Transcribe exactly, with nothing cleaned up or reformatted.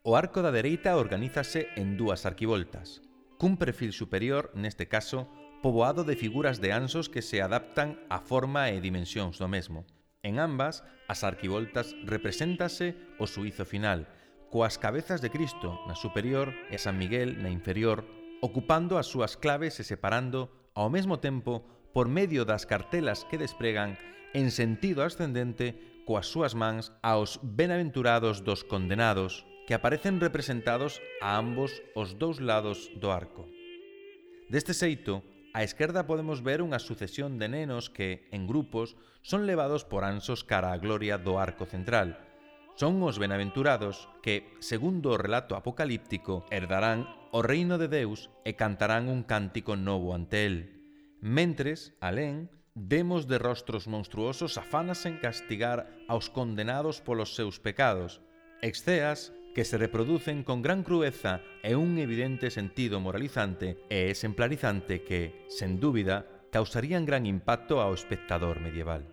O arco da dereita organízase en dúas arquivoltas, cun perfil superior, neste caso, poboado de figuras de anxos que se adaptan á forma e dimensións do mesmo. En ambas, as arquivoltas represéntase o suízo final, coas cabezas de Cristo na superior e San Miguel na inferior, ocupando as súas claves e separando, ao mesmo tempo, por medio das cartelas que despregan, en sentido ascendente, coas súas mans aos benaventurados dos condenados, que aparecen representados a ambos os dous lados do arco. Deste xeito, á esquerda podemos ver unha sucesión de nenos que, en grupos, son levados por anxos cara á gloria do arco central. Son os benaventurados que, segundo o relato apocalíptico, herdarán o reino de Deus e cantarán un cántico novo ante el. Mentres, alén, vemos de rostros monstruosos afanas en castigar aos condenados polos seus pecados, exceas que se reproducen con gran crueza e un evidente sentido moralizante e exemplarizante que, sen dúbida, causarían gran impacto ao espectador medieval.